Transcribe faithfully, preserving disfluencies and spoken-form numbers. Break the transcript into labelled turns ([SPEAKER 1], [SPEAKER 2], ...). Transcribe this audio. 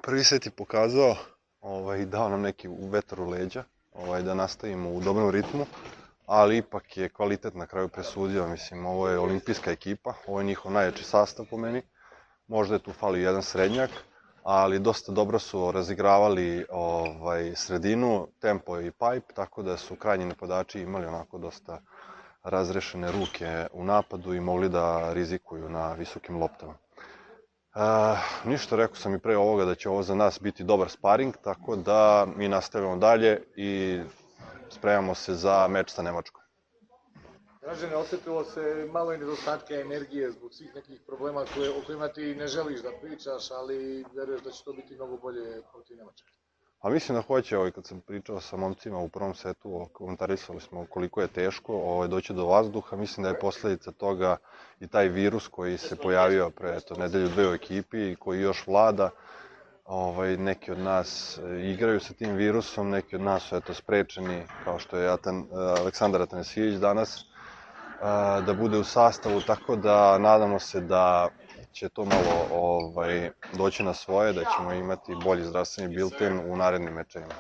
[SPEAKER 1] Prvi set je pokazao ovaj, i dao nam neki vetar u leđa, ovaj, da nastavimo u dobrom ritmu, ali ipak je kvalitet na kraju presudio. Mislim, ovo je olimpijska ekipa, ovo je njihov najjači sastav po meni. Možda je tu fali jedan srednjak, ali dosta dobro su razigravali ovaj, sredinu, tempo i pipe, tako da su krajnji napadači imali onako dosta razrešene ruke u napadu i mogli da rizikuju na visokim loptama. Uh, ništa, rekao sam i pre ovoga da će ovo za nas biti dobar sparing, tako da mi nastavljamo dalje i spremamo se za meč sa Nemačkom.
[SPEAKER 2] Dražene, osetilo se malo i nedostatka energije zbog svih nekih problema koje, o kojima ti ne želiš da pričaš, ali veruješ da će to biti mnogo bolje protiv Nemačke.
[SPEAKER 1] A mislim da hoće, ovaj, kad sam pričao sa momcima u prvom setu, komentarisali smo koliko je teško ovaj, doći do vazduha. Mislim da je posledica toga i taj virus koji se pojavio pre eto, nedelju dve u ekipi i koji još vlada. Ovaj, neki od nas igraju sa tim virusom, neki od nas su eto, sprečeni, kao što je Atan, Aleksandar Atanasijević danas, da bude u sastavu, tako da nadamo se da će to malo ovaj, doći na svoje, da ćemo imati bolji zdravstveni bilten u narednim mečevima.